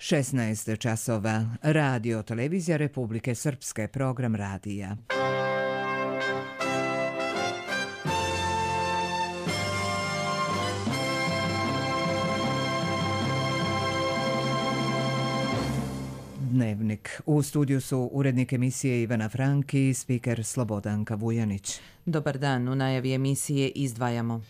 16 časova. Radio Televizija Republike Srpske, program radija. Dnevnik. U studiju su urednik emisije Ivana Franki i spiker Slobodanka Vujanić. Dobar dan, u najavi emisije izdvajamo.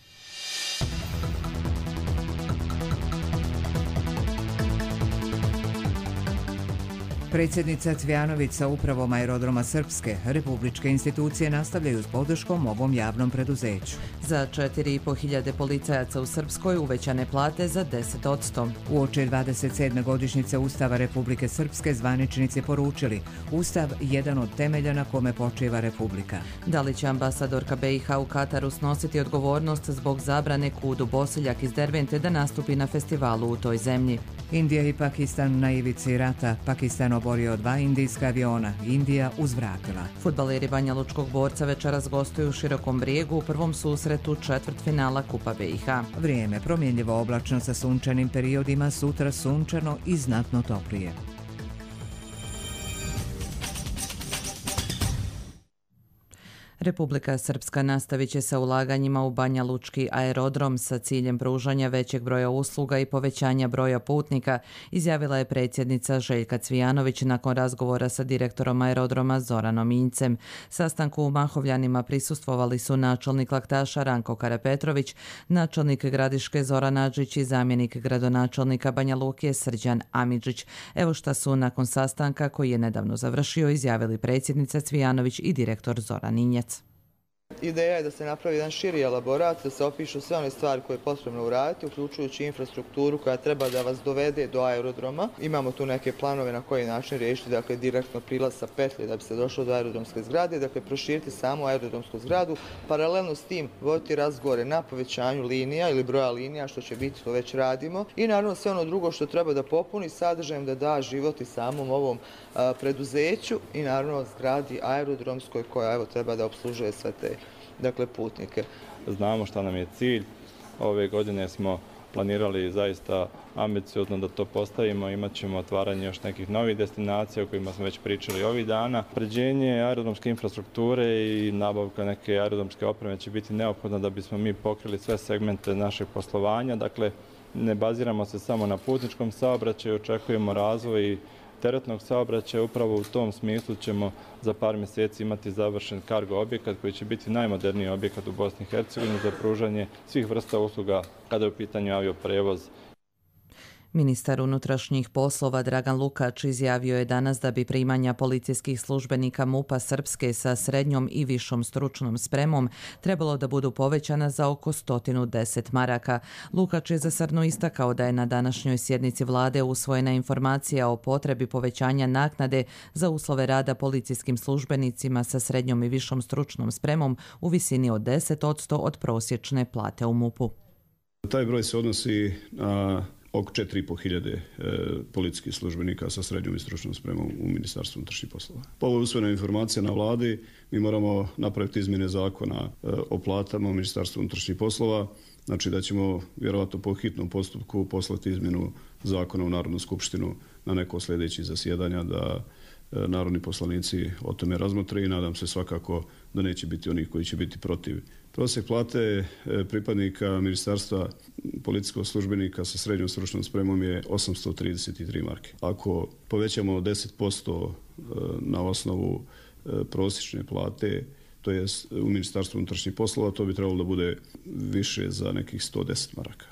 Predsjednica Cvjanović sa upravom Aerodroma Srpske, republičke institucije nastavljaju s podrškom ovom javnom preduzeću. Za 4.500 policajaca u Srpskoj uvećane plate za 10%. Uoči 27. godišnjice Ustava Republike Srpske zvaničnici poručili Ustav jedan od temelja na kome počiva Republika. Da li će ambasadorka BiH u Kataru snositi odgovornost zbog zabrane Kudu Bosiljak iz Dervente da nastupi na festivalu u toj zemlji? Indija i Pakistan na ivici rata. Pakistan oborio 2 indijska aviona. Indija uzvratila. Fudbaleri Banja Lučkog Borca večeras gostuju u Širokom Brijegu u prvom susretu četvrtfinala Kupa BiH. Vrijeme promjenljivo oblačno sa sunčanim periodima, sutra sunčano i znatno toplije. Republika Srpska nastavit će sa ulaganjima u Banja Lučki aerodrom sa ciljem pružanja većeg broja usluga i povećanja broja putnika, izjavila je predsjednica Željka Cvijanović nakon razgovora sa direktorom aerodroma Zoranom Injcem. Sastanku u Mahovljanima prisustvovali su načelnik Laktaša Ranko Karapetrović, načelnik Gradiške Zoran Adžić i zamjenik gradonačelnika Banja Luke Srđan Amidžić. Evo šta su nakon sastanka koji je nedavno završio izjavili predsjednica Cvijanović i direktor Zoran Injec. Ideja je da se napravi jedan širi elaborat, da se opišu sve one stvari koje je potrebno uraditi, uključujući infrastrukturu koja treba da vas dovede do aerodroma. Imamo tu neke planove na koji način riješiti, dakle direktno prilaz sa petlje da bi se došlo do aerodromske zgrade, dakle proširiti samu aerodromsku zgradu, paralelno s tim voditi razgovore na povećanju linija ili broja linija, što će biti, to već radimo, i naravno sve ono drugo što treba da popuni sadržajem, da da život i samom ovom preduzeću i naravno zgradi aerodromskoj koja treba da opslužuje sve te putnike. Znamo šta nam je cilj. Ove godine smo planirali zaista ambiciozno da to postavimo. Imat ćemo otvaranje još nekih novih destinacija o kojima smo već pričali ovih dana. Pređenje aerodromske infrastrukture i nabavka neke aerodromske opreme će biti neophodno da bismo mi pokrili sve segmente našeg poslovanja. Dakle, ne baziramo se samo na putničkom saobraćaju, očekujemo razvoj teretnog saobraćaja. Upravo u tom smislu ćemo za par mjeseci imati završen kargo objekat koji će biti najmoderniji objekat u Bosni i Hercegovini za pružanje svih vrsta usluga kada je u pitanju avioprevoz. Ministar unutrašnjih poslova Dragan Lukač izjavio je danas da bi primanja policijskih službenika MUP-a Srpske sa srednjom i višom stručnom spremom trebalo da budu povećana za oko 110 maraka. Lukač je zasrno istakao da je na današnjoj sjednici vlade usvojena informacija o potrebi povećanja naknade za uslove rada policijskim službenicima sa srednjom i višom stručnom spremom u visini od 10% od prosječne plate u MUP-u. Taj broj se odnosi na oko 4.500 policijskih službenika sa srednjom i stručnom spremom u Ministarstvu unutrašnjih poslova. Po ovoj usvojenoj informacija na vladi mi moramo napraviti izmjene zakona o platama u Ministarstvu unutrašnjih poslova, znači da ćemo vjerovatno po hitnom postupku poslati izmjenu zakona u Narodnu skupštinu na neko sljedećih zasjedanja da narodni poslanici o tome razmotre i nadam se svakako da neće biti onih koji će biti protiv. Prosjek plate pripadnika Ministarstva policijskog službenika sa srednjom stručnom spremom je 833 marke. Ako povećamo 10% na osnovu prosječne plate, to je u Ministarstvu unutrašnjih poslova, to bi trebalo da bude više za nekih 110 maraka.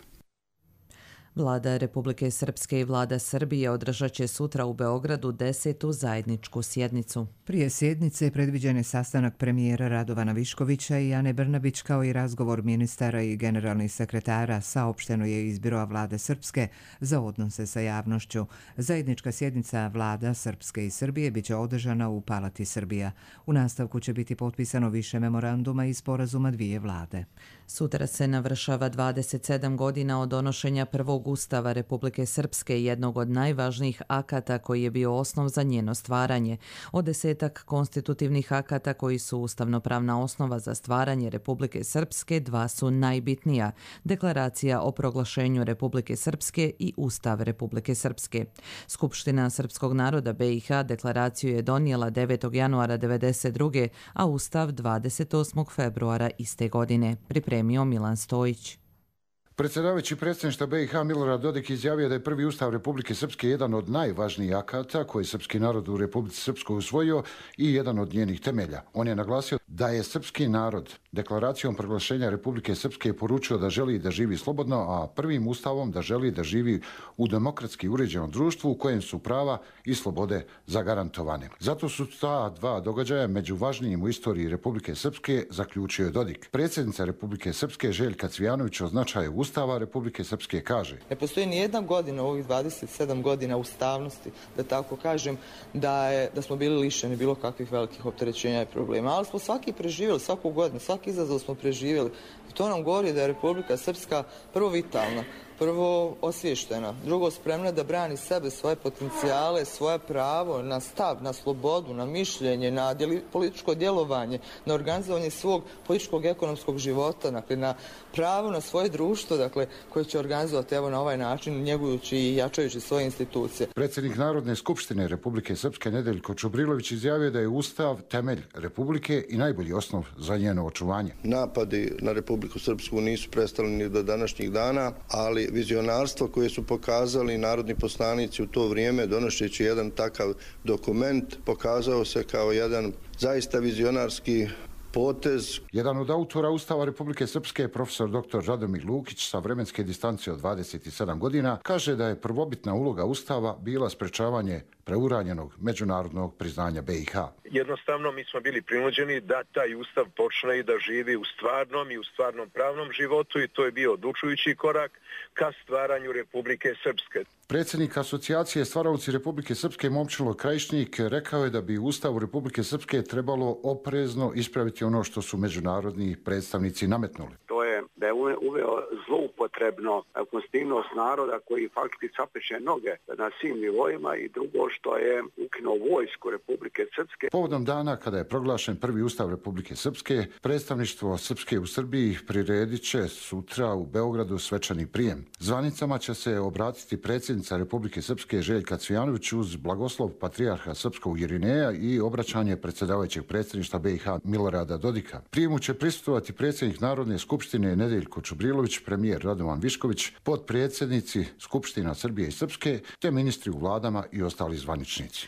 Vlada Republike Srpske i vlada Srbije održat će sutra u Beogradu 10. zajedničku sjednicu. Prije sjednice predviđen je sastanak premijera Radovana Viškovića i Ane Brnabić kao i razgovor ministara i generalnih sekretara, saopšteno je iz Biroa vlade Srpske za odnose sa javnošću. Zajednička sjednica vlada Srpske i Srbije biće održana u Palati Srbija. U nastavku će biti potpisano više memoranduma i sporazuma dvije vlade. Sutra se navršava 27 godina od donošenja prvog novog ustava Republike Srpske, jednog od najvažnijih akata koji je bio osnov za njeno stvaranje. Od 10 konstitutivnih akata koji su ustavnopravna osnova za stvaranje Republike Srpske, 2 su najbitnija: Deklaracija o proglašenju Republike Srpske i Ustav Republike Srpske. Skupština srpskog naroda BiH deklaraciju je donijela 9. januara 1992. a Ustav 28. februara iste godine. Pripremio Milan Stojić. Predsjedavajući predsjedništva BiH Milorad Dodik izjavio da je prvi ustav Republike Srpske jedan od najvažnijih akata koji je srpski narod u Republici Srpskoj usvojio i jedan od njenih temelja. On je naglasio da je srpski narod deklaracijom proglašenja Republike Srpske poručio da želi da živi slobodno, a prvim ustavom da želi da živi u demokratski uređenom društvu u kojem su prava i slobode zagarantovane. Zato su ta dva događaja među važnijim u istoriji Republike Srpske, zaključio je Dodik. Predsjednica Republike Srpske Željka Cvijanović o značaju Ustava Republike Srpske kaže: Ne postoji ni jedna godina u ovih 27 godina ustavnosti, da tako kažem, da smo bili lišeni bilo kakvih velikih opterećenja i problema. Ali smo svaki preživjeli, svaku godinu, svaki izazov smo preživjeli. I to nam govori da je Republika Srpska prvo vitalna, prvo osviještena, drugo spremna da brani sebe, svoje potencijale, svoje pravo na stav, na slobodu, na mišljenje, na političko djelovanje, na organizovanje svog političkog ekonomskog života, dakle na pravo na svoje društvo, dakle koje će organizovati evo na ovaj način, njegujući i jačajući svoje institucije. Predsjednik Narodne skupštine Republike Srpske Nedeljko Čubrilović izjavio da je Ustav temelj Republike i najbolji osnov za njeno očuvanje. Napadi na Republiku Srpsku nisu prestali ni do današnjih dana, ali vizionarstvo koje su pokazali narodni poslanici u to vrijeme, donošeći jedan takav dokument, pokazao se kao jedan zaista vizionarski potez. Jedan od autora Ustava Republike Srpske, profesor dr. Radomir Lukić, sa vremenske distance od 27 godina, kaže da je prvobitna uloga Ustava bila sprečavanje preuranjenog međunarodnog priznanja BiH. Jednostavno mi smo bili prinuđeni da taj Ustav počne i da živi u stvarnom pravnom životu i to je bio odlučujući korak ka stvaranju Republike Srpske. Predsjednik asocijacije Stvaraoci Republike Srpske Momčilo Krajišnik rekao je da bi u Ustavu Republike Srpske trebalo oprezno ispraviti ono što su međunarodni predstavnici nametnuli. To je da je uveo zloupotrebno konstitutivnost naroda koji faktički sapeče noge na svim nivoima i drugo što je ukinuo vojsku Republike Srpske. Povodom dana kada je proglašen prvi Ustav Republike Srpske, predstavništvo Srpske u Srbiji priredit će sutra u Beogradu svečani prijem. Zvanicama će se obratiti predsjednica Republike Srpske Željka Cvijanović uz blagoslov patrijarha Srpskog Irineja i obraćanje predsjedavajućeg predsjedništva BiH Milorada Dodika. Prijemu će prisustvovati predsjednik Narodne skupštine Nedeljko Čubrilović, premijer Radovan Višković, potpredsjednici Skupština Srbije i Srpske, te ministri u vladama i ostali zvaničnici.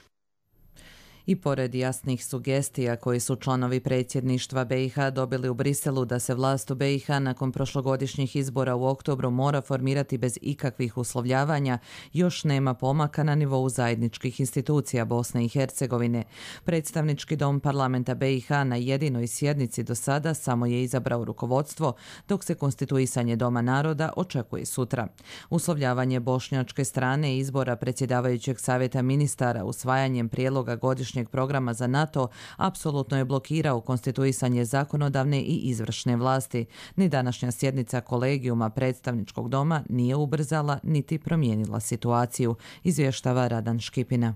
I pored jasnih sugestija koje su članovi predsjedništva BiH dobili u Briselu da se vlast u BiH nakon prošlogodišnjih izbora u oktobru mora formirati bez ikakvih uslovljavanja, još nema pomaka na nivou zajedničkih institucija Bosne i Hercegovine. Predstavnički dom parlamenta BiH na jedinoj sjednici do sada samo je izabrao rukovodstvo, dok se konstituisanje Doma naroda očekuje sutra. Uslovljavanje bošnjačke strane izbora predsjedavajućeg savjeta ministara usvajanjem prijedloga godišnjeg programa za NATO apsolutno je blokirao konstituisanje zakonodavne i izvršne vlasti. Ni današnja sjednica kolegijuma predstavničkog doma nije ubrzala niti promijenila situaciju, izvještava Radan Škipina.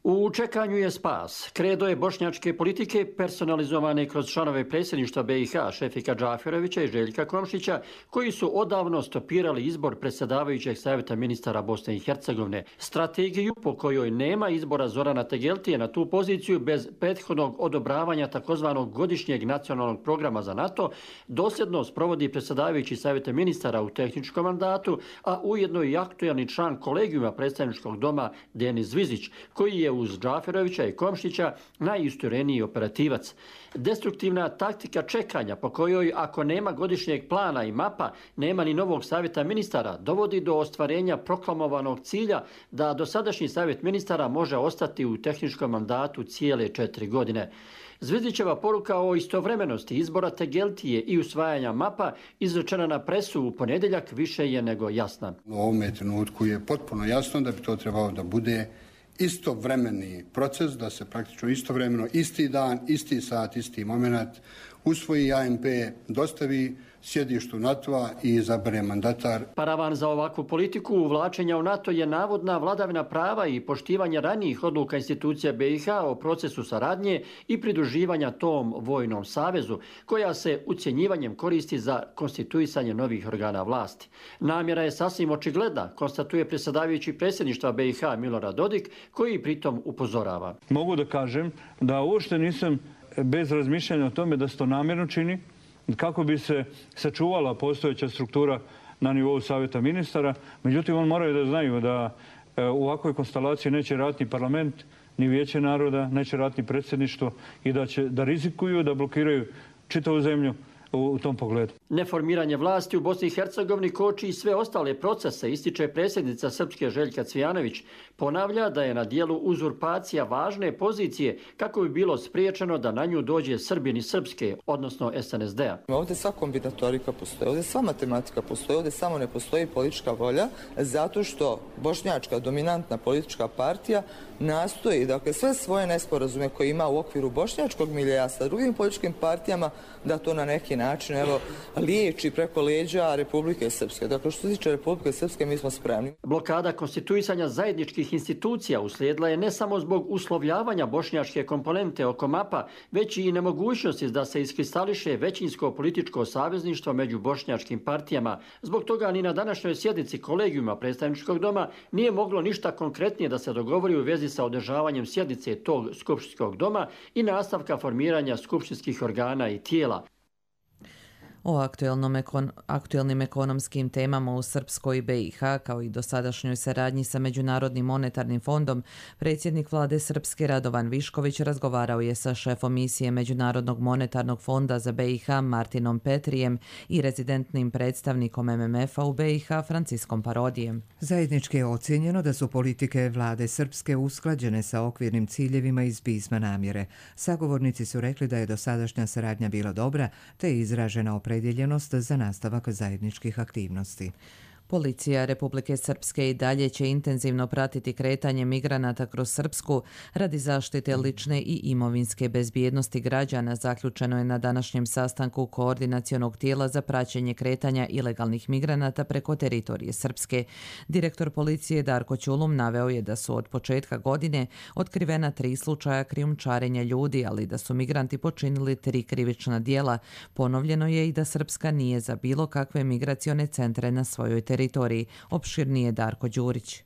U čekanju je spas. Kredo je bošnjačke politike personalizovane kroz članove predsjedništva BiH Šefika Džaferovića i Željka Komšića, koji su odavno stopirali izbor predsjedavajućeg savjeta ministara Bosne i Hercegovine. Strategiju po kojoj nema izbora Zorana Tegeltije na tu poziciju bez prethodnog odobravanja takozvanog godišnjeg nacionalnog programa za NATO dosljedno sprovodi predsjedavajući savjeta ministara u tehničkom mandatu, a ujedno i aktualni član kolegijuma predstavničkog doma Denis Zvizić, koji je uz Džaferovića i Komšića najistureniji operativac. Destruktivna taktika čekanja po kojoj ako nema godišnjeg plana i mapa, nema ni novog savjeta ministara, dovodi do ostvarenja proklamovanog cilja da dosadašnji savjet ministara može ostati u tehničkom mandatu cijele 4 godine. Zvizdićeva poruka o istovremenosti izbora Tegeltije i usvajanja mapa izrečena na presu u ponedjeljak više je nego jasna. U ovome trenutku je potpuno jasno da bi to trebalo da bude istovremeni proces, da se praktično istovremeno, isti dan, isti sat, isti moment usvoji ANP, dostavi sjedištu NATO-a i izabere mandatar. Paravan za ovakvu politiku uvlačenja u NATO je navodna vladavina prava i poštivanje ranijih odluka institucija BiH o procesu saradnje i pridruživanja tom vojnom savezu, koja se ucjenjivanjem koristi za konstituisanje novih organa vlasti. Namjera je sasvim očigledna, konstatuje predsjedavajući predsjedništva BiH Milorad Dodik, koji pritom upozorava. Mogu da kažem da uopšte nisam bez razmišljanja o tome da se to namjerno čini, kako bi se sačuvala postojeća struktura na nivou Savjeta ministara. Međutim, oni moraju da znaju da u ovakvoj konstelaciji neće raditi ni parlament, ni Vijeće naroda, neće raditi ni predsjedništvo i da rizikuju, da blokiraju čitavu zemlju u tom pogledu. Neformiranje vlasti u Bosni i Hercegovini koči i sve ostale procese, ističe predsjednica Srpske Željka Cvijanović. Ponavlja da je na dijelu uzurpacija važne pozicije kako bi bilo spriječeno da na nju dođe Srbin iz Srpske, odnosno SNSD-a. Ovdje sva kombinatorika postoji, ovdje sva matematika postoji, ovdje samo ne postoji politička volja, zato što bošnjačka dominantna politička partija nastoji, dakle, sve svoje nesporazume koje ima u okviru bošnjačkog miljeja sa drugim političkim partijama, da to na neki način liječi preko leđa Republike Srpske. Dakle, što se tiče Republike Srpske, mi smo spremni. Blokada konstituisanja zajedničkih institucija uslijedila je ne samo zbog uslovljavanja bošnjačke komponente oko mapa, već i nemogućnosti da se iskristališe većinsko političko savezništvo među bošnjačkim partijama. Zbog toga ni na današnjoj sjednici kolegijuma predstavničkog doma nije moglo ništa konkretnije da se dogovori u vezi sa održavanjem sjednice tog skupštinskog doma i nastavka formiranja skupštinskih organa i tijela. O aktuelnim ekonomskim temama u Srpskoj i BiH, kao i dosadašnjoj saradnji sa Međunarodnim monetarnim fondom, predsjednik vlade Srpske Radovan Višković razgovarao je sa šefom misije Međunarodnog monetarnog fonda za BiH Martinom Petrijem i rezidentnim predstavnikom MMF-a u BiH Franciskom Parodijem. Zajednički je ocijenjeno da su politike vlade Srpske usklađene sa okvirnim ciljevima iz pisma namjere. Sagovornici su rekli da je dosadašnja saradnja bila dobra, te je izražena opredjeljenost za nastavak zajedničkih aktivnosti. Policija Republike Srpske i dalje će intenzivno pratiti kretanje migranata kroz Srpsku radi zaštite lične i imovinske bezbjednosti građana, zaključeno je na današnjem sastanku koordinacionog tijela za praćenje kretanja ilegalnih migranata preko teritorije Srpske. Direktor policije Darko Ćulum naveo je da su od početka godine otkrivena 3 slučaja krijumčarenja ljudi, ali da su migranti počinili 3 krivična djela. Ponovljeno je i da Srpska nije za bilo kakve migracione centre na svojoj teritoriji. Opširnije Darko Đurić.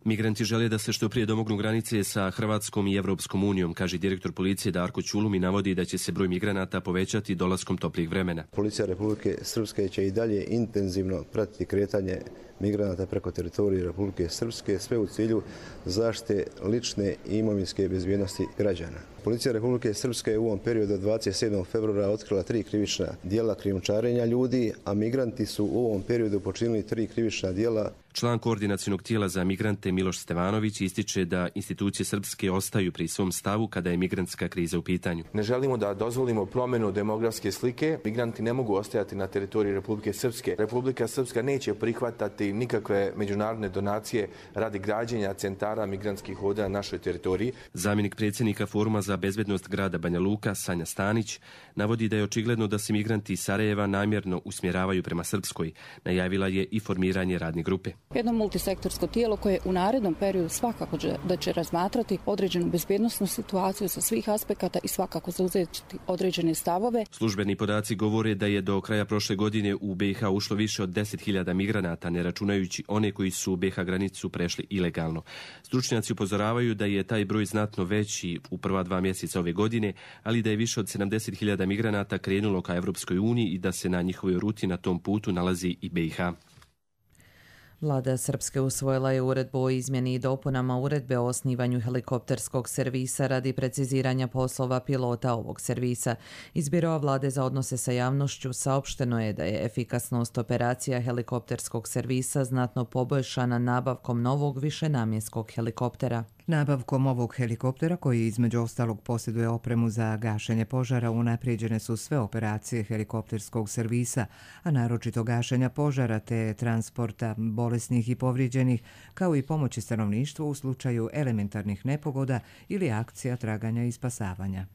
Migranti žele da se što prije domognu granice sa Hrvatskom i Evropskom unijom, kaže direktor policije Darko Ćulum i navodi da će se broj migranata povećati dolaskom toplijih vremena. Policija Republike Srpske će i dalje intenzivno pratiti kretanje migranata preko teritorije Republike Srpske, sve u cilju zaštite lične i imovinske bezbjednosti građana. Policija Republike Srpske je u ovom periodu od 27. februara otkrila 3 krivična djela krijumčarenja ljudi, a migranti su u ovom periodu počinili 3 krivična djela. Član koordinacionog tijela za migrante Miloš Stevanović ističe da institucije Srpske ostaju pri svom stavu kada je migrantska kriza u pitanju. Ne želimo da dozvolimo promjenu demografske slike. Migranti ne mogu ostajati na teritoriji Republike Srpske. Republika Srpska neće prihvatati nikakve međunarodne donacije radi građenja centara migrantskih voda na našoj teritoriji. Zamjenik predsjednika Foruma za bezbednost grada Banja Luka, Sanja Stanić, navodi da je očigledno da se migranti iz Sarajeva namjerno usmjeravaju prema Srpskoj. Najavila je i formiranje radne grupe. Jedno multisektorsko tijelo koje u narednom periodu svakako da će razmatrati određenu bezbjednosnu situaciju sa svih aspekata i svakako zauzeti određene stavove. Službeni podaci govore da je do kraja prošle godine u BiH ušlo više od 10.000 migranata, ne računajući one koji su u BiH granicu prešli ilegalno. Stručnjaci upozoravaju da je taj broj znatno veći u prva 2 mjeseca ove godine, ali da je više od 70.000 migranata krenulo ka Evropskoj uniji i da se na njihovoj ruti na tom putu nalazi i BiH. Vlada Srpske usvojila je uredbu o izmjeni i dopunama uredbe o osnivanju helikopterskog servisa radi preciziranja poslova pilota ovog servisa. Iz Biroa vlade za odnose sa javnošću saopšteno je da je efikasnost operacija helikopterskog servisa znatno poboljšana nabavkom novog višenamjenskog helikoptera. Nabavkom ovog helikoptera, koji između ostalog posjeduje opremu za gašenje požara, unaprijeđene su sve operacije helikopterskog servisa, a naročito gašenja požara te transporta bolesnih i povrijeđenih, kao i pomoći stanovništvu u slučaju elementarnih nepogoda ili akcija traganja i spasavanja.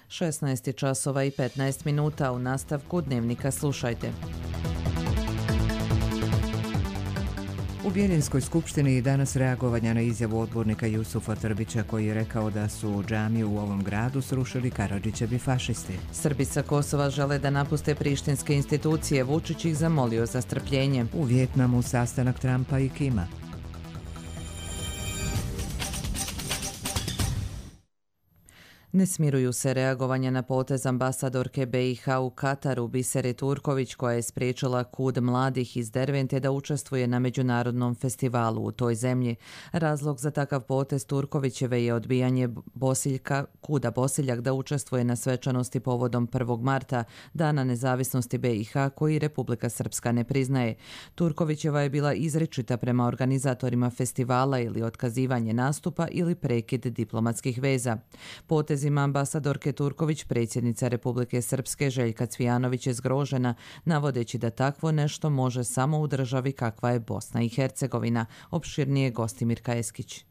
16 časova i 15 minuta. U nastavku Dnevnika slušajte. U Bijeljinskoj skupštini i danas reagovanja na izjavu odbornika Jusufa Trbića koji je rekao da su džamiju u ovom gradu srušili Karadžićevi fašisti. Srbi sa Kosova žele da napuste prištinske institucije. Vučić ih zamolio za strpljenje. U Vijetnamu sastanak Trumpa i Kima. Ne smiruju se reagovanja na potez ambasadorke BiH u Kataru Bisere Turković koja je spriječila KUD mladih iz Dervente da učestvuje na međunarodnom festivalu u toj zemlji. Razlog za takav potez Turkovićeve je odbijanje KUD-a Bosiljak da učestvuje na svečanosti povodom 1. marta, Dana nezavisnosti BiH koji Republika Srpska ne priznaje. Turkovićeva je bila izričita prema organizatorima festivala ili otkazivanje nastupa ili prekid diplomatskih veza. Potez ambasadorke Turković predsjednica Republike Srpske Željka Cvijanović je zgrožena, navodeći da takvo nešto može samo u državi kakva je Bosna i Hercegovina. Opširnije Gostimir Eskić.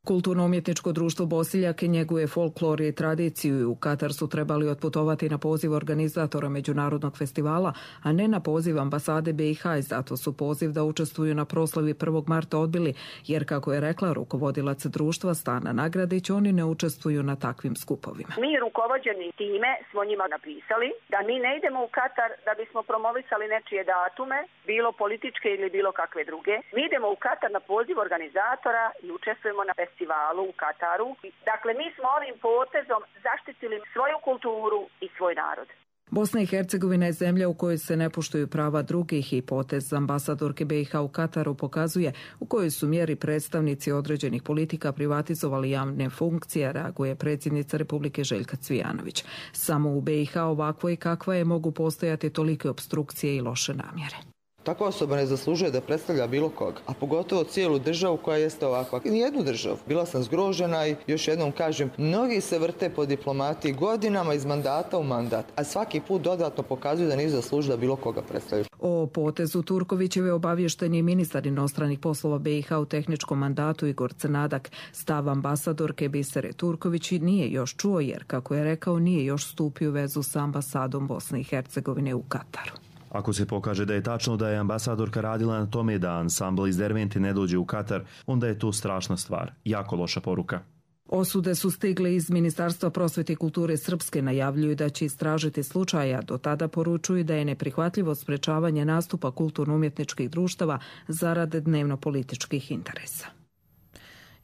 Kulturno-umjetničko društvo Bosiljak njeguje folklor i tradiciju i u Katar su trebali otputovati na poziv organizatora međunarodnog festivala, a ne na poziv ambasade BiH i zato su poziv da učestvuju na proslavi 1. marta odbili, jer kako je rekla rukovodilac društva Stana Nagradić, oni ne učestvuju na takvim skupovima. Mi rukovođeni time smo njima napisali da mi ne idemo u Katar da bismo promovisali nečije datume, bilo političke ili bilo kakve druge. Mi idemo u Katar na poziv organizatora i učestvujemo na festivalu u Kataru. Dakle, mi smo ovim potezom zaštitili svoju kulturu i svoj narod. Bosna i Hercegovina je zemlja u kojoj se ne poštuju prava drugih i potez ambasadorke BiH u Kataru pokazuje u kojoj su mjeri predstavnici određenih politika privatizovali javne funkcije, reaguje predsjednica Republike Željka Cvijanović. Samo u BiH ovakvo i kakva je mogu postojati tolike opstrukcije i loše namjere. Takva osoba ne zaslužuje da predstavlja bilo koga, a pogotovo cijelu državu koja jeste ovakva. Nijednu državu. Bila sam zgrožena i još jednom kažem, mnogi se vrte po diplomatiji godinama iz mandata u mandat, a svaki put dodatno pokazuju da nisu zaslužili da bilo koga predstavljaju. O potezu Turkovićeve obavješten je ministar inostranih poslova BiH u tehničkom mandatu Igor Crnadak. Stav ambasadorke Bisere Turković nije još čuo jer, kako je rekao, nije još stupio u vezu sa ambasadom Bosne i Hercegovine u Kataru. Ako se pokaže da je tačno da je ambasadorka radila na tome da ansambl iz Dervente ne dođe u Katar, onda je to strašna stvar, jako loša poruka. Osude su stigle iz Ministarstva prosvete i kulture Srpske, najavljuju da će istražiti slučaja, do tada poručuju da je neprihvatljivo sprečavanje nastupa kulturno-umjetničkih društava zarad dnevno-političkih interesa.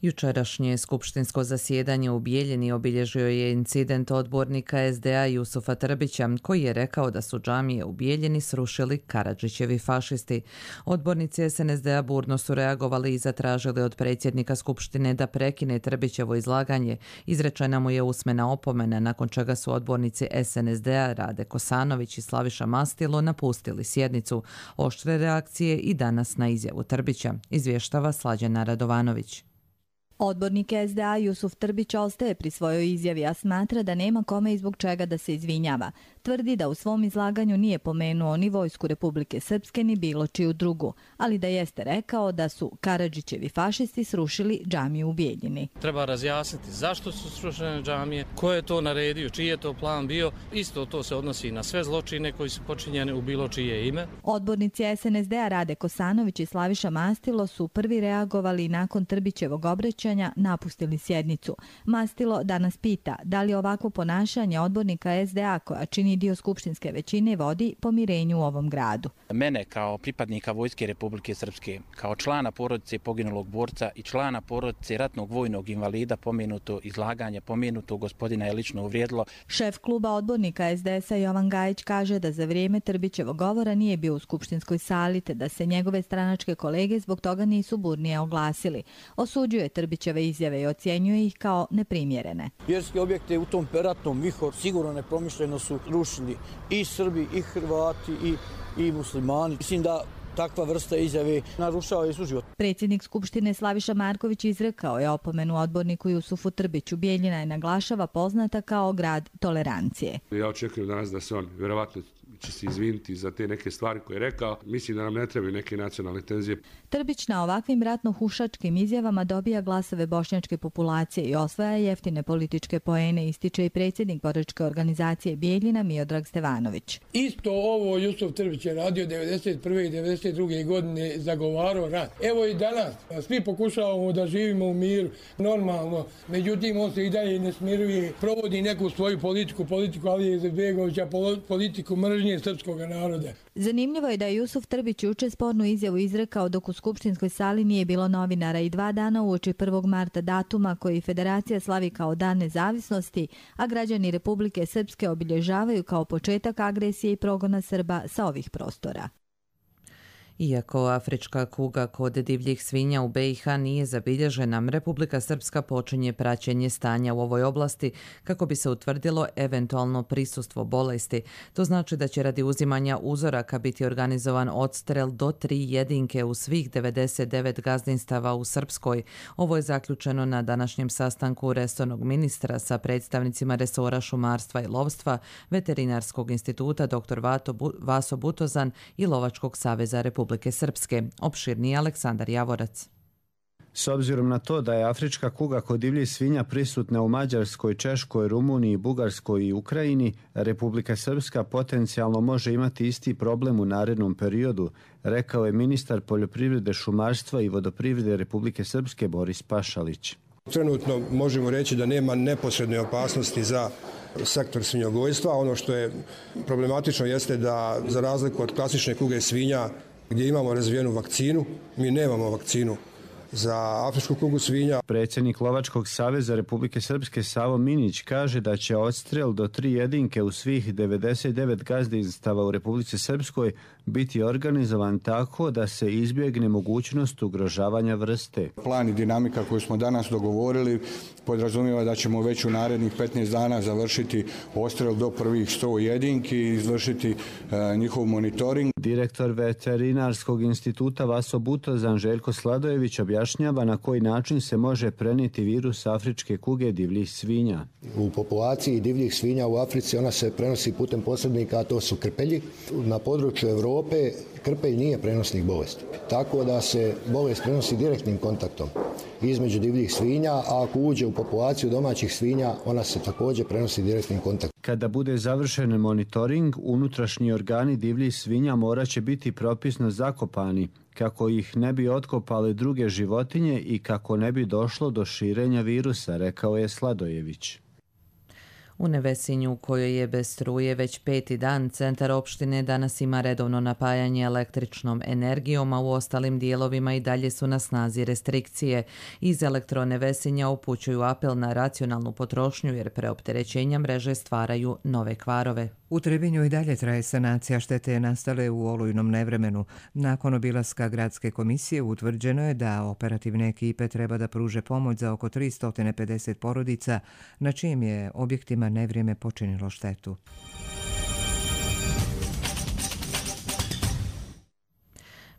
Jučerašnje skupštinsko zasjedanje u Bijeljini obilježio je incident odbornika SDA Jusufa Trbića, koji je rekao da su džamije u Bijeljini srušili Karadžićevi fašisti. Odbornici SNSD-a burno su reagovali i zatražili od predsjednika skupštine da prekine Trbićevo izlaganje. Izrečena mu je usmena opomena, nakon čega su odbornici SNSD-a Rade Kosanović i Slaviša Mastilo napustili sjednicu. Oštre reakcije i danas na izjavu Trbića, izvještava Slađana Radovanović. Odbornik SDA Jusuf Trbić ostaje pri svojoj izjavi, a smatra da nema kome i zbog čega da se izvinjava. Tvrdi da u svom izlaganju nije pomenuo ni vojsku Republike Srpske ni bilo čiju drugu, ali da jeste rekao da su Karadžićevi fašisti srušili džamiju u Bijeljini. Treba razjasniti zašto su srušene džamije, ko je to naredio, čiji je to plan bio. Isto to se odnosi na sve zločine koji su počinjeni u bilo čije ime. Odbornici SNSD-a Rade Kosanović i Slaviša Mastilo su prvi reagovali nakon Trbićevog obraćanja napustili sjednicu. Mastilo danas pita da li ovakvo ponašanje odbornika SDA koja čini dio skupštinske većine vodi pomirenju u ovom gradu. Mene kao pripadnika Vojske Republike Srpske, kao člana porodice poginulog borca i člana porodice ratnog vojnog invalida pomenuto izlaganje pomenutog gospodina je lično uvrijedilo. Šef kluba odbornika SDS-a Jovan Gajić kaže da za vrijeme Trbićevog govora nije bio u skupštinskoj sali te da se njegove stranačke kolege zbog toga nisu burnije oglasili. Osuđuje Trbićeve izjave i ocjenjuje ih kao neprimjerene. Vjerske objekte u tom ratnom vihor sigurno nepromišljeno su rušili i Srbi, i Hrvati, i muslimani. Mislim da takva vrsta izjave narušava i suživot. Predsjednik Skupštine Slaviša Marković izrekao je opomenu odborniku Jusufu Trbiću. Bijeljina je naglašava poznata kao grad tolerancije. Ja očekujem danas da se on vjerovatno će se izviniti za te neke stvari koje je rekao. Mislim da nam ne trebaju neke nacionalne tenzije. Trbić na ovakvim ratno-hušačkim izjavama dobija glasove bošnjačke populacije i osvaja jeftine političke poene, ističe i predsjednik boračke organizacije Bijeljina Miodrag Stevanović. Isto ovo Jusuf Trbić je radio 1991. i 1992. godine, zagovarao rat. Evo i danas, svi pokušavamo da živimo u miru, normalno, međutim on se i dalje ne smiruje, provodi neku svoju politiku Alije Izetbegovića, politiku mržnje srpskog naroda. Zanimljivo je da je Jusuf Trbić juče spornu izjavu izrekao dok u skupštinskoj sali nije bilo novinara i 2 dana uoči 1. marta, datuma koji Federacija slavi kao Dan nezavisnosti, a građani Republike Srpske obilježavaju kao početak agresije i progona Srba sa ovih prostora. Iako afrička kuga kod divljih svinja u BiH nije zabilježena, Republika Srpska počinje praćenje stanja u ovoj oblasti kako bi se utvrdilo eventualno prisustvo bolesti. To znači da će radi uzimanja uzoraka biti organizovan odstrel do 3 jedinke u svih 99 gazdinstava u Srpskoj. Ovo je zaključeno na današnjem sastanku resornog ministra sa predstavnicima resora šumarstva i lovstva, Veterinarskog instituta dr. Vaso Butozan i Lovačkog saveza Republike Srpske. Opširniji Aleksandar Javorac. S obzirom na to da je afrička kuga kod divljih svinja prisutna u Mađarskoj, Češkoj, Rumuniji, Bugarskoj i Ukrajini, Republika Srpska potencijalno može imati isti problem u narednom periodu, rekao je ministar poljoprivrede, šumarstva i vodoprivrede Republike Srpske Boris Pašalić. Trenutno možemo reći da nema neposredne opasnosti za sektor svinjogojstva. Ono što je problematično jeste da za razliku od klasične kuge svinja gdje imamo razvijenu vakcinu, mi nemamo vakcinu za afričku kugu svinja. Predsjednik Lovačkog saveza Republike Srpske Savo Minić kaže da će odstrel do 3 jedinke u svih 99 gazdinstava u Republici Srpskoj biti organizovan tako da se izbjegne mogućnost ugrožavanja vrste. Plan i dinamika koju smo danas dogovorili podrazumijeva da ćemo već u narednih 15 dana završiti odstrel do prvih 100 jedinki i izvršiti njihov monitoring. Direktor Veterinarskog instituta Vaso Butozan Željko Sladojević objašnjava na koji način se može prenijeti virus afričke kuge divljih svinja. U populaciji divljih svinja u Africi ona se prenosi putem posrednika, a to su krpelji. Na području Europe krpelj nije prenosnik bolesti, tako da se bolest prenosi direktnim kontaktom između divljih svinja, a ako uđe u populaciju domaćih svinja, ona se također prenosi direktnim kontaktom. Kada bude završen monitoring, unutrašnji organi divljih svinja morat će biti propisno zakopani, kako ih ne bi otkopale druge životinje i kako ne bi došlo do širenja virusa, rekao je Sladojević. U Nevesinju, u kojoj je bez struje već 5. dan, centar opštine danas ima redovno napajanje električnom energijom, a u ostalim dijelovima i dalje su na snazi restrikcije. Iz Elektronevesinja upućuju apel na racionalnu potrošnju jer preopterećenja mreže stvaraju nove kvarove. U Trebinju i dalje traje sanacija štete nastale u olujnom nevremenu. Nakon obilaska gradske komisije utvrđeno je da operativne ekipe treba da pruže pomoć za oko 350 porodica, na čijim je objektima nevrijeme počinilo štetu.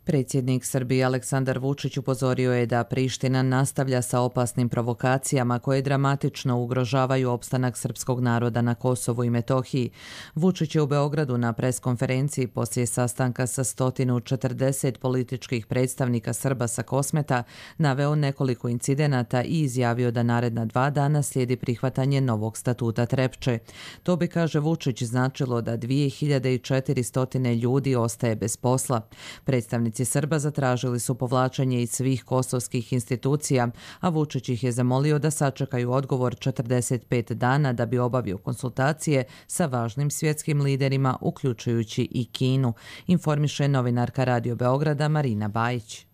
Predsjednik Srbije Aleksandar Vučić upozorio je da Priština nastavlja sa opasnim provokacijama koje dramatično ugrožavaju opstanak srpskog naroda na Kosovu i Metohiji. Vučić je u Beogradu na preskonferenciji poslije sastanka sa 140 političkih predstavnika Srba sa Kosmeta naveo nekoliko incidenata i izjavio da naredna 2 dana slijedi prihvatanje novog statuta Trepče. To bi, kaže Vučić, značilo da 2400 ljudi ostaje bez posla. Predstavnici Srba zatražili su povlačenje iz svih kosovskih institucija, a Vučić ih je zamolio da sačekaju odgovor 45 dana da bi obavio konsultacije sa važnim svjetskim liderima, uključujući i Kinu, informiše novinarka Radio Beograda Marina Bajić.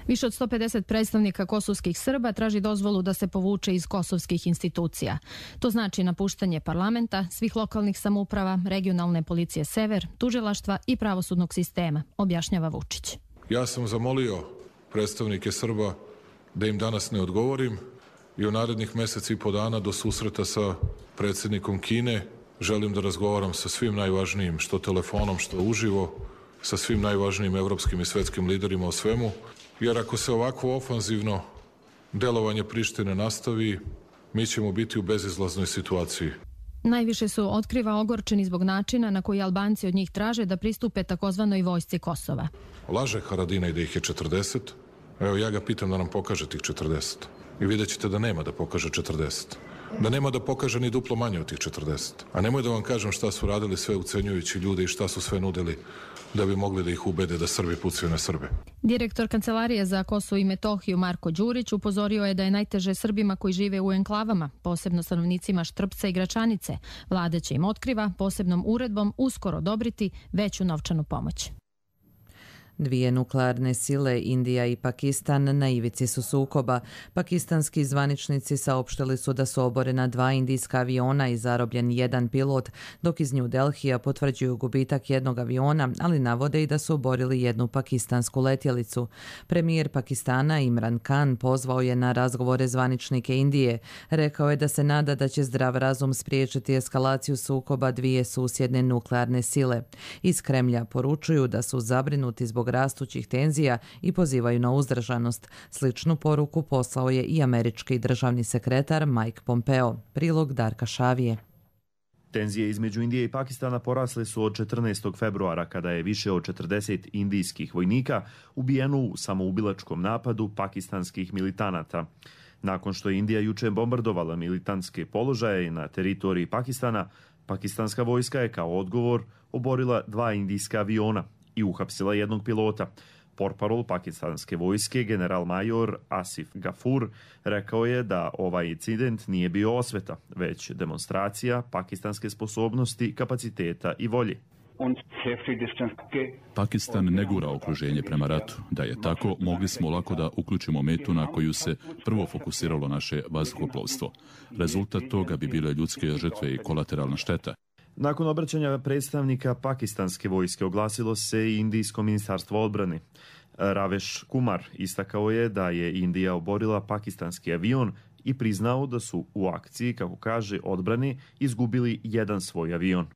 Više od 150 predstavnika kosovskih Srba traži dozvolu da se povuče iz kosovskih institucija. To znači napuštanje parlamenta, svih lokalnih samouprava, regionalne policije Sever, tužilaštva i pravosudnog sistema, objašnjava Vučić. Ja sam zamolio predstavnike Srba da im danas ne odgovorim i u narednih mjeseci i po dana do susreta sa predsjednikom Kine želim da razgovaram sa svim najvažnijim, što telefonom, što uživo, sa svim najvažnijim evropskim i svjetskim liderima o svemu. Jer ako se ovako ofanzivno delovanje Prištine nastavi, mi ćemo biti u bezizlaznoj situaciji. Najviše su, otkriva, ogorčeni zbog načina na koji Albanci od njih traže da pristupe takozvanoj vojsci Kosova. Laže Haradinaj da ih je 40. Evo, ja ga pitam da nam pokaže tih 40. I vidjet ćete da nema da pokaže 40. Da nema da pokaže ni duplo manje od tih 40. A nemoj da vam kažem šta su radili sve ucenjujući ljude i šta su sve nudili da bi mogli da ih ubede da Srbi pucaju na Srbe. Direktor Kancelarije za Kosovo i Metohiju Marko Đurić upozorio je da je najteže Srbima koji žive u enklavama, posebno stanovnicima Štrpca i Gračanice. Vlada će im, otkriva, posebnom uredbom uskoro odobriti veću novčanu pomoć. Dvije nuklearne sile, Indija i Pakistan, na ivici su sukoba. Pakistanski zvaničnici saopštili su da su oborena 2 indijska aviona i zarobljen 1 pilot, dok iz New Delhija potvrđuju gubitak jednog aviona, ali navode i da su oborili 1 pakistansku letjelicu. Premijer Pakistana Imran Khan pozvao je na razgovore zvaničnike Indije. Rekao je da se nada da će zdrav razum spriječiti eskalaciju sukoba dvije susjedne nuklearne sile. Iz Kremlja poručuju da su zabrinuti zbog rastućih tenzija i pozivaju na uzdržanost. Sličnu poruku poslao je i američki državni sekretar Mike Pompeo. Prilog Darka Šavije. Tenzije između Indije i Pakistana porasle su od 14. februara kada je više od 40 indijskih vojnika ubijeno u samoubilačkom napadu pakistanskih militanata. Nakon što je Indija juče bombardovala militantske položaje na teritoriji Pakistana, pakistanska vojska je kao odgovor oborila 2 indijska aviona i uhapsila 1 pilota. Portparol pakistanske vojske, general major Asif Gafur, rekao je da ovaj incident nije bio osveta, već demonstracija pakistanske sposobnosti, kapaciteta i volje. Pakistan ne gura okruženje prema ratu. Da je tako, mogli smo lako da uključimo metu na koju se prvo fokusiralo naše vazduhoplovstvo. Rezultat toga bi bile ljudske žrtve i kolateralna šteta. Nakon obraćanja predstavnika pakistanske vojske oglasilo se i Indijsko ministarstvo odbrane. Raveš Kumar istakao je da je Indija oborila pakistanski avion i priznao da su u akciji, kako kaže, odbrane izgubili 1 svoj avion.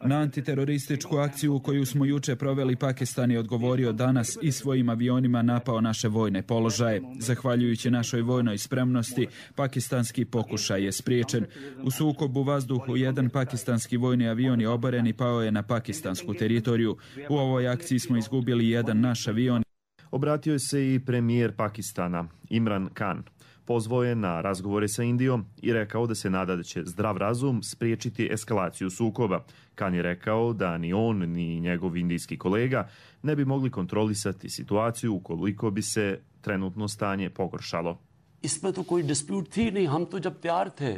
Na antiterorističku akciju koju smo juče proveli, Pakistan je odgovorio danas i svojim avionima napao naše vojne položaje. Zahvaljujući našoj vojnoj spremnosti, pakistanski pokušaj je spriječen. U sukobu vazduhu 1 pakistanski vojni avion je oboren i pao je na pakistansku teritoriju. U ovoj akciji smo izgubili 1 naš avion. Obratio se i premijer Pakistana Imran Khan. Pozvao je na razgovore sa Indijom i rekao da se nada da će zdrav razum spriječiti eskalaciju sukoba. Khan je rekao da ni on ni njegov indijski kolega ne bi mogli kontrolisati situaciju ukoliko bi se trenutno stanje pogoršalo.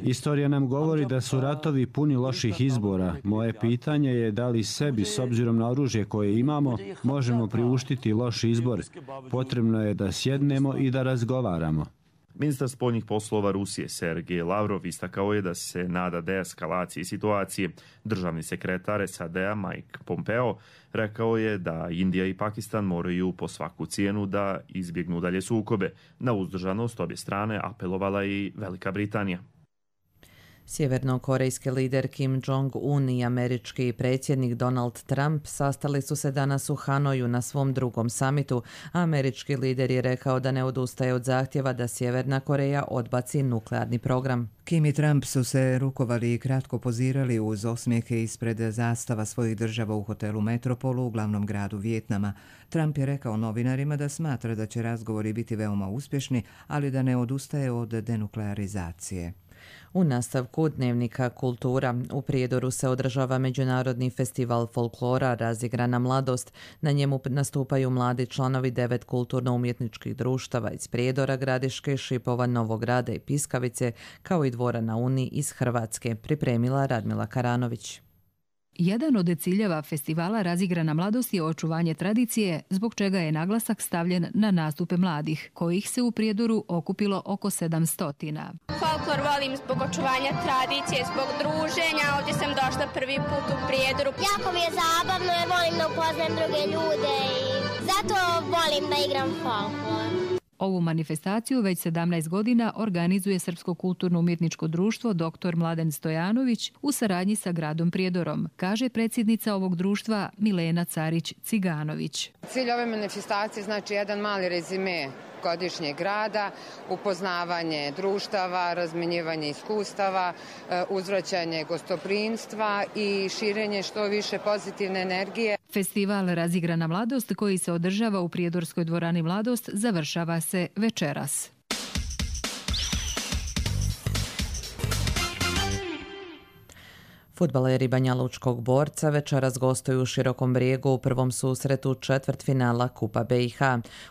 Istorija nam govori da su ratovi puni loših izbora. Moje pitanje je da li sebi, s obzirom na oružje koje imamo, možemo priuštiti loš izbor. Potrebno je da sjednemo i da razgovaramo. Ministar spoljnih poslova Rusije Sergej Lavrov istakao je da se nada deeskalaciji situacije. Državni sekretar SAD-a Mike Pompeo rekao je da Indija i Pakistan moraju po svaku cijenu da izbjegnu dalje sukobe. Na uzdržanost obje strane apelovala i Velika Britanija. Sjevernokorejski lider Kim Jong-un i američki predsjednik Donald Trump sastali su se danas u Hanoju na svom 2. samitu, a američki lider je rekao da ne odustaje od zahtjeva da Sjeverna Koreja odbaci nuklearni program. Kim i Trump su se rukovali i kratko pozirali uz osmijehe ispred zastava svojih država u hotelu Metropolu u glavnom gradu Vijetnama. Trump je rekao novinarima da smatra da će razgovori biti veoma uspješni, ali da ne odustaje od denuklearizacije. U nastavku dnevnika Kultura u Prijedoru se održava Međunarodni festival folklora Razigrana mladost. Na njemu nastupaju mladi članovi 9 kulturno-umjetničkih društava iz Prijedora, Gradiške, Šipova, Novog Grada i Piskavice, kao i Dvora na Uni iz Hrvatske, pripremila Radmila Karanović. Jedan od ciljeva festivala Razigrana mladost je očuvanje tradicije, zbog čega je naglasak stavljen na nastupe mladih, kojih se u Prijedoru okupilo oko 700. Folklor volim zbog očuvanja tradicije, zbog druženja. Ovdje sam došla prvi put u Prijedoru. Jako mi je zabavno jer volim da upoznajem druge ljude i zato volim da igram folklor. Ovu manifestaciju već 17 godina organizuje Srpsko kulturno-umjetničko društvo Dr. Mladen Stojanović u saradnji sa gradom Prijedorom, kaže predsjednica ovog društva Milena Carić-Ciganović. Cilj ove manifestacije znači jedan mali rezime višegodišnjeg rada, upoznavanje društava, razmenjivanje iskustava, uzvraćanje gostoprimstva i širenje što više pozitivne energije. Festival Razigrana mladost koji se održava u Prijedorskoj dvorani Mladost završava se večeras. Fudbaleri Banjalučkog Borca večeras gostuju u Širokom Brijegu u prvom susretu četvrtfinala Kupa BiH.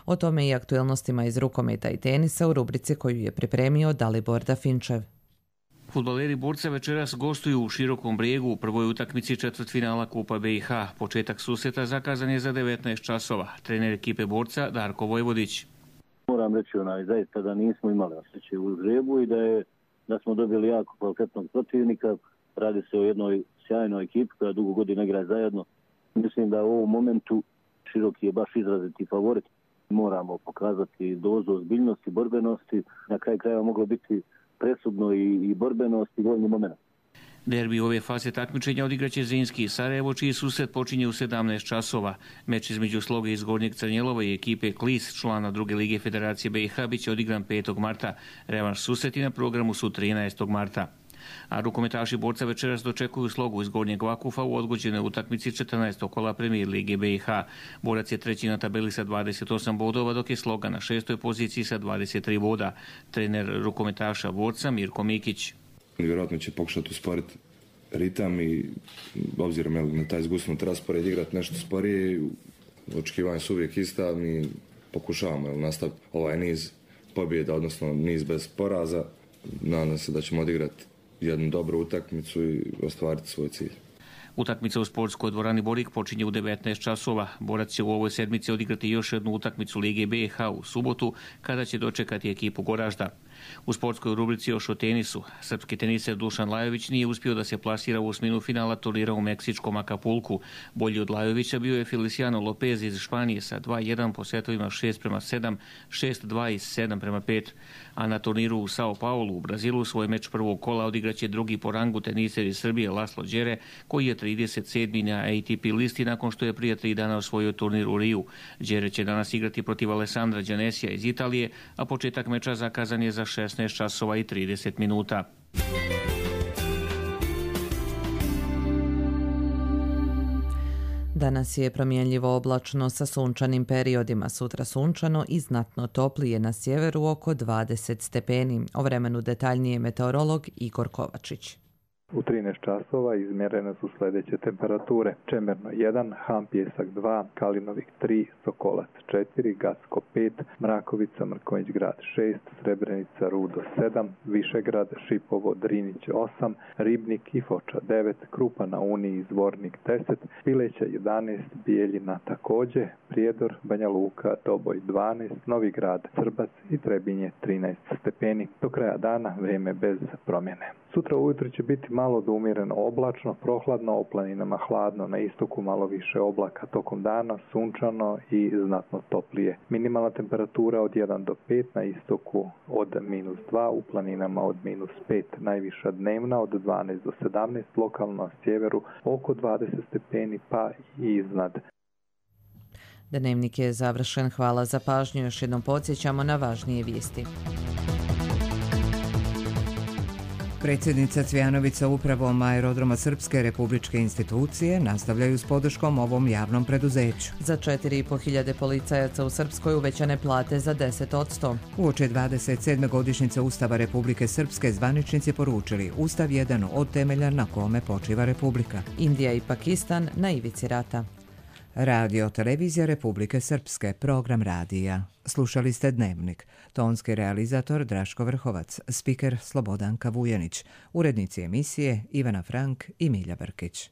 O tome i aktuelnostima iz rukometa i tenisa u rubrici koju je pripremio Dalibor Dafinčev. Fudbaleri Borca večeras gostuju u Širokom Brijegu u prvoj utakmici četvrtfinala Kupa BiH. Početak susreta zakazan je za 19 časova. Trener ekipe Borca Darko Vojvodić. Moram reći zaista da nismo imali osjećaj u Zagrebu i da smo dobili jako kvalitetnog protivnika. Radi se o jednoj sjajnoj ekipi koja dugo godina igra zajedno. Mislim da u ovom momentu Široki je baš izraziti favorit. Moramo pokazati dozu ozbiljnosti, borbenosti. Na kraju krajeva moglo biti presudno i borbenost i voljni moment. Derbi ove faze takmičenja odigraće Zrinski i Sarajevo, čiji susret počinje u 17 časova. Meč između Sloge iz Gornjeg Crnjelova i ekipe Klis, člana druge lige Federacije BiH, bit će odigran 5. marta. Revanš susreti na programu su 13. marta. A rukometaši Borca večeras dočekuju Slogu iz Gornjeg Vakufa u odgođenoj utakmici 14. kola Premijer lige BiH. Borac je treći na tabeli sa 28 bodova, dok je Sloga na 6. poziciji sa 23 boda. Trener rukometaša Borca Mirko Mikić. Vjerojatno će pokušati usporiti ritam i obzirom na taj zgusnut raspored igrati nešto sporije. Očekivanja su uvijek ista, mi pokušavamo nastaviti ovaj niz pobjeda, odnosno niz bez poraza. Nadam se da ćemo odigrati jednu dobru utakmicu i ostvariti svoj cilj. Utakmica u sportskoj dvorani Borik počinje u 19 časova. Borac će u ovoj sedmici odigrati još jednu utakmicu Lige BiH u subotu, kada će dočekati ekipu Goražda. U sportskoj rubrici još o tenisu. Srpski teniser Dušan Lajović nije uspio da se plasira u osminu finala turnira u meksičkom Akapulku. Bolji od Lajovića bio je Feliciano Lopez iz Španije sa 2-1 po setovima 6-7, 6-2 i 7-5. A na turniru u Sao Paulu u Brazilu svoj meč prvog kola odigraće drugi po rangu teniser iz Srbije Laslo Đere, koji je 37. na ATP listi nakon što je prije 3 dana osvojio turnir u Riju. Đere će danas igrati protiv Alessandra Gianesija iz Italije, a početak meča zakazan je za 16 časova i 30 minuta. Danas je promjenljivo oblačno sa sunčanim periodima, sutra sunčano i znatno toplije, na sjeveru oko 20 stepeni. O vremenu detaljnije meteorolog Igor Kovačić. U 13 časova izmjerene su sljedeće temperature. Čemerno 1, Han Pjesak 2, Kalinovik 3, Sokolac 4, Gacko 5, Mrakovica, Mrkonjić grad 6, Srebrenica, Rudo 7, Višegrad, Šipovo, Drinić 8, Ribnik i Foča 9, Krupa na Uniji, Zvornik 10, Pileća 11, Bijeljina također, Prijedor, Banja Luka, Doboj 12, Novi grad, Srbac i Trebinje 13 stepeni. Do kraja dana vrijeme bez promjene. Sutra ujutro će biti malo do umjereno oblačno, prohladno, o planinama hladno, na istoku malo više oblaka, tokom dana sunčano i znatno toplije. Minimalna temperatura od 1 do 5, na istoku od -2, u planinama od -5, najviša dnevna od 12 do 17, lokalno na sjeveru oko 20 stepeni pa i iznad. Dnevnik je završen, hvala za pažnju, još jednom podsjećamo na važnije vijesti. Predsjednica Cvijanović sa upravom Aerodroma Srpske republičke institucije nastavljaju s podrškom ovom javnom preduzeću. Za 4.500 policajaca u Srpskoj uvećane plate za 10%. Uoči 27. godišnjice Ustava Republike Srpske zvaničnici poručili Ustav jedan od temelja na kome počiva Republika. Indija i Pakistan na ivici rata. Radio Televizija Republike Srpske, program radija. Slušali ste Dnevnik. Tonski realizator Draško Vrhovac, spiker Slobodanka Vujanić, urednici emisije Ivana Frank i Milja Brkić.